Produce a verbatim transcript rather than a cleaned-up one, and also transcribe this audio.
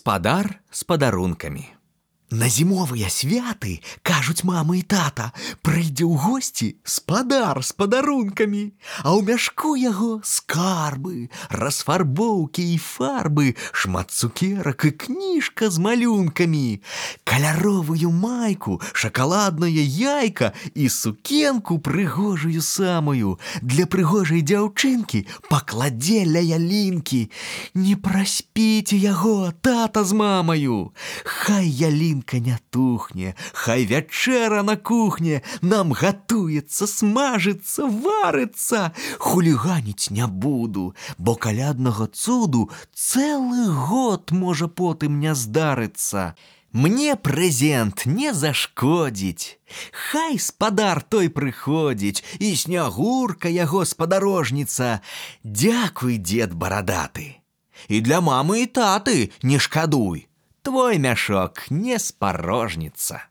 Спадар з падарункамі. На зімовыя святы, кажуць мама і тата, прыйдзе ў госці спадар з падарункамі, а ў мяшку яго скарбы, расфарбоўкі і фарбы, шмат цукерак і кніжка з малюнкамі, каляровую майку, шакаладнае яйка і сукенку прыгожую самую. Для прыгожай дзяўчынкі пакладзе ля ялінкі. Не праспіце яго, тата з мамаю. Хай ялінка не тухне, хай вячэра на кухне нам гатуецца, смажыцца, варыцца. Хуліганіць не буду, бо каляднага цуду цэлы год можа потым не здарыцца. Мне прэзент не зашкодзіць. Хай спадар той прыходзіць, і снягурка яго спадарожніца. Дзякуй, дзед барадаты. І для мамы і таты не шкадуй. Твой мяшок не спарожніцца.